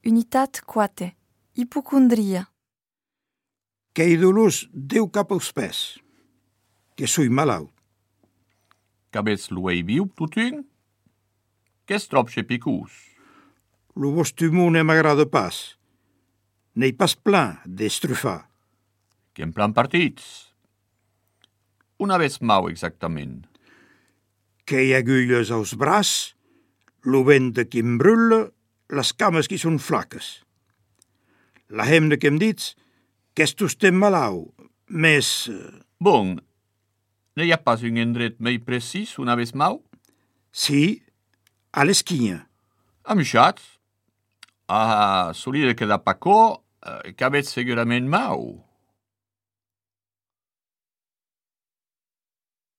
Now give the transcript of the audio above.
Unitat 4. Hipocondria. Qu'ei dolors deu cap als pès, que soi malaut. Qu'avètz lo ei viu totun? Qu'es trop picús? Lo vostre humor ne m'agrada pas. N'ei pas plan d'estrufar. Qu'en plan partits? Una vez mau exactament. Qu'ei agulles als braç, lo ventre qui em brulla, les cames qui són flaques. La hemna que em dits qu'est estem malau, més... Bon, ne hi ha pas un endret mei precis una vez mau? Sí, a l'esquinha. Amixats? Ah, solide que da pacó, qu'avètz segurament mau.